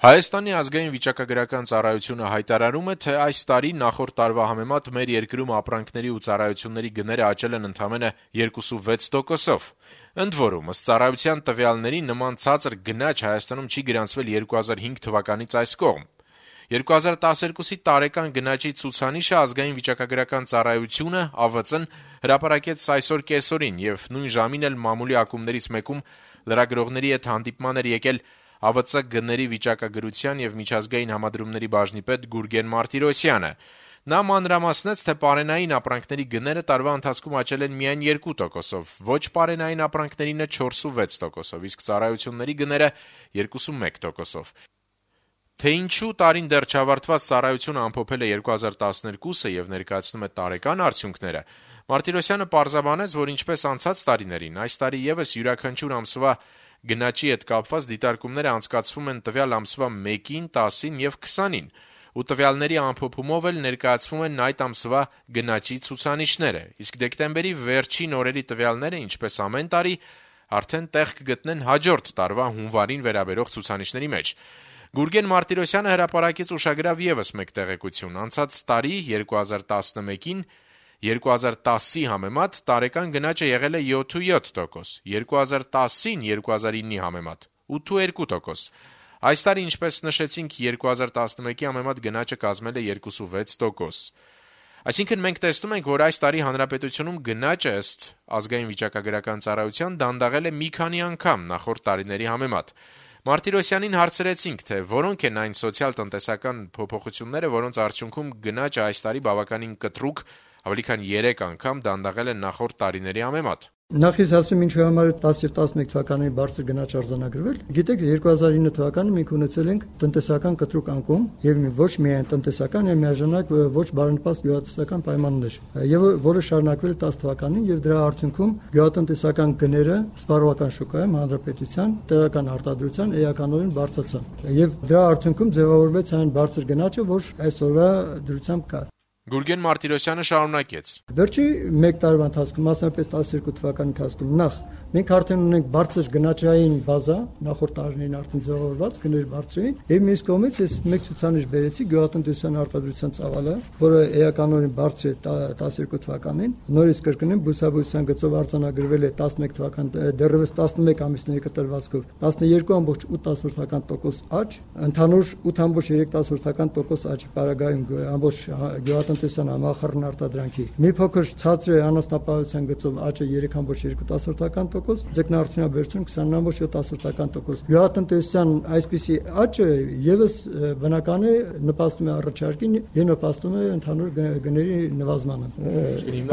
Հայաստանի ազգային վիճակագրական ծառայությունը հայտարարում է, թե այս տարի նախորդ տարվա համեմատ մեր երկրում ապրանքների ու ծառայությունների գները աճել են ընդամենը 2.6%-ով։ Ընդ որում, ըստ ծառայության տվյալների, նման ցածր գնաճ Հայաստանում չի գրանցվել 2005 թվականից այս կողմ։ 2012-ի տարեկան գնաճի ցուցանիշը ազգային վիճակագրական ծառայությունը ԱՎԾ-ն հրապարակեց այսօր կեսօրին եւ նույն ժամին էլ մամուլի ակումբներից մեկում լրագրողների հետ հանդիպման էր եկել ԱՎԾ գների վիճակագրության եւ միջազգային համադրումների բաժնի պետ Գուրգեն Մարտիրոսյանը։ Նա մանրամասնեց, թե պարենային ապրանքների գները տարվա ընթացքում աճել են միայն 2%-ով, ոչ պարենային ապրանքներինը 4.6%-ով, իսկ ծառայությունների գները 2.1%-ով։ Թե ինչու տարին դեռ չավարտված ծառայությունը ամփոփել է 2012-ը եւ ներկայացնում է տարեկան արդյունքները, Մարտիրոսյանը պարզաբանեց, որ ինչպես անցած տարիներին, այս տարի եւս յուրաքանչյուր ամսվա գնաճի հետ կապված դիտարկումները անցկացվում են տվյալ ամսվա 1-ին, 10-ին եւ 20-ին, ու տվյալների ամփոփումով էլ ներկայացվում են այդ ամսվա գնաճի ցուցանիշները, իսկ դեկտեմբերի վերջին օրերի տվյալները, ինչպես ամեն տարի, արդեն տեղ կգտնեն հաջորդ տարվա հունվարին վերաբերող ցուցանիշների մեջ։ Գուրգեն Մարտիրոսյանը հրապարակեց ուշագրավ եւս մեկ տեղեկություն. անցած տարի 2011-ին 2010-ի համեմատ տարեկան գնաճը եղել է 7.7%, 2010-ին 2009-ի համեմատ 8.2%։ Այս տարի, ինչպես նշեցինք, 2011-ի համեմատ գնաճը կազմել է 2.6%։ Այսինքն մենք տեսնում ենք, որ այս տարի հանրապետությունում գնաճը ըստ ազգային վիճակագրական ծառայության դանդաղել է մի քանի անգամ նախորդ տարիների համեմատ։ Մարտիրոսյանին հարցրեցինք, թե որոնք են այն սոցիալ-տնտեսական փոփոխությունները, որոնց արդյունքում գնաճը այս տարի բավականին կտրուկ ավելի քան 3 անգամ դանդաղել են նախորդ տարիների համեմատ։ Նախ ես ասեմ ինչու համար 10 եւ 11 թվականների բարձր գնաճ արձանագրվել։ Գիտեք, 2009 թվականին մենք ունեցել ենք տնտեսական կտրուկ անկում եւ ոչ միայն տնտեսական, այլ միաժամանակ ոչ բարենպաստ գյուղատնտեսական պայմաններ, եւ որը շարունակվել է 10 թվականին եւ դրա արդյունքում գյուղատնտեսական գները սպառողական շուկայում հանրապետության տեղական արտադրության էականորեն բարձրացան եւ դրա արդյունքում ձևավորվեց այն բարձր գնաճը, որ այսօրվա դրությամբ կա։ Գուրգեն Մարտիրոսյանը շարունակեց. Վերջի 1 տարվա ընթացքում, մասնավորապես 12 թվականի ընթացքում, նախ մենք արդեն ունենք բարձր գնաճային բազա, նախորդ տարիներին արդեն ձևավորված գներ բարձրին, եւ մյուս կողմից ես մեկ ցուցանիշ բերեցի գյուղատնտեսության արտադրության ծավալը, որը էականորեն բարձր է 12 թվականին, նորից կրկնեմ, բուսաբուծության գծով արձանագրվել է 11 թվական դեռևս 11 ամիսների կտրվածքով 12.8% աճ, ընդհանուր 8.3% աճի պարագայում ամբողջ գյուղատնտեսության համախառն արտադրանքի մի փոքր ցածր անասնապահության գծով աճը 3.2%, ձկնարդյունաբերություն 20.7%։ Գյուղատնտեսության այսպիսի աճը եւս բնական է նպաստում է առաջարկին եւ նպաստում է ընդհանուր գների նվազմանը։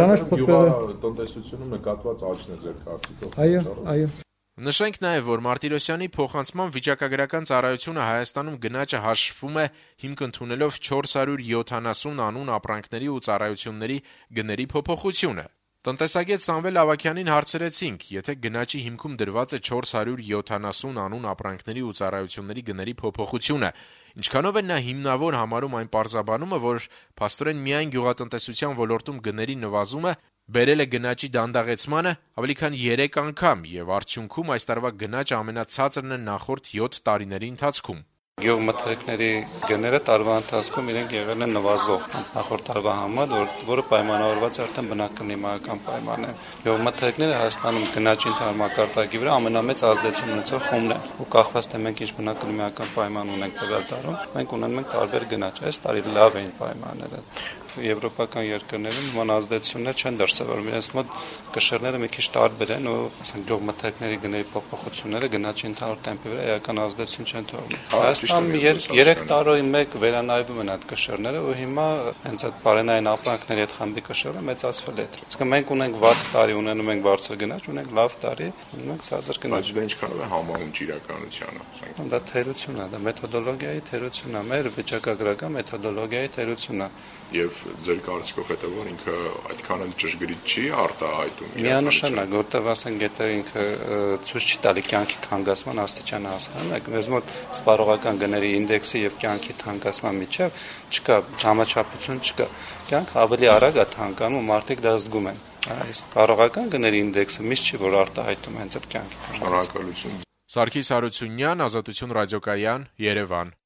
Կանաչ գյուղատնտեսությունում նկատված աճն է ձեր կարծիքով։ Այո։ Նշենք նաև, որ Մարտիրոսյանի փոխանցման վիճակագրական ծառայությունը Հայաստանում գնաճը հաշվում է հիմք ընդունելով 470 անուն ապրանքների ու ծառայությունների գների փոփոխությունը։ Տնտեսագետ Սամվել Ավագյանին հարցրեցինք, եթե գնաճի հիմքում դրված է 470 անուն ապրանքների ու ծառայությունների գների փոփոխությունը, ինչքանով է նա հիմնավոր համարում այն պարզաբանումը, որ փաստորեն միայն գյուղատնտեսության ոլորտում գների նվազումը բերել է գնաճի դանդաղեցմանը ավելի քան 3 անգամ եւ արդյունքում այս տարվա գնաճը ամենացածրն է նախորդ 7 տարիների ընթացքում։ Գյուղմթերքների գները տարվա ընթացքում իրենք եղել են նվազող նախորդ տարվա համեմատ, որը պայմանավորված է արդեն բնակլիմայական պայմաններով։ Գյուղմթերքները Հայաստանում գնաճի մակարդակի վրա ամենամեծ ազդեցություն ունեցող խումբն են, ու կախված թե մենք ինչ բնակլիմայական պայման ունենք տվյալ տարում, մենք ունենում ենք տարբեր գնաճ։ Այս տարի լավ էին պայմանները։ Եվրոպական երկրներում նման ազդեցություններ չեն դրսևորվում, իրենց մոտ կշռները մի քիչ տարբեր են ու ասենք գյուղմթերքների գների փոփոխությունները գնաճի ընդհանուր տեմպի վրա էական ազդեցություն չեն թողնում։ Հայաստանում 3 տարի մեկ վերանայվում են այդ կշռները ու հիմա հենց այդ բարենային ապրանքների այդ խմբի կշռը մեծացվել է։ Իսկ մենք ունենք վատ տարի, ունենում ենք բարձր գնաճ, ունենք լավ տարի, ունենք ցածր գնաճ։ Դա ինչքանով է համահունչ իրականությանը։ Դա թերություն է, դա մեթոդոլոգիայի թերություն է, մեր վիճակագրական մեթոդոլոգիայի թերություն է։ Եվ ձեր կարծիքով հետո որ ինքը այդքան էլ ճշգրիտ չի արտահայտում։ Միանշանակ, որտեղ ասենք եթե ինքը ցույց չի տալի կյանքի թանկացման աստիճանը հասարակ, մեզ մոտ սպառողական գների ինդեքսի եւ կյանքի թանկացման միջեւ չկա համաչափություն չկա։ Կյանքը ավելի արագ է թանկանում, մարդիկ դա զգում են։ Այս սպառողական գների ինդեքսը միշտ չի որ արտահայտում հենց այդ կյանքի թանկացումը։ Շնորհակալություն։ Սարգիս Հարությունյան, Ազատություն ռադիոկայան, Երևան։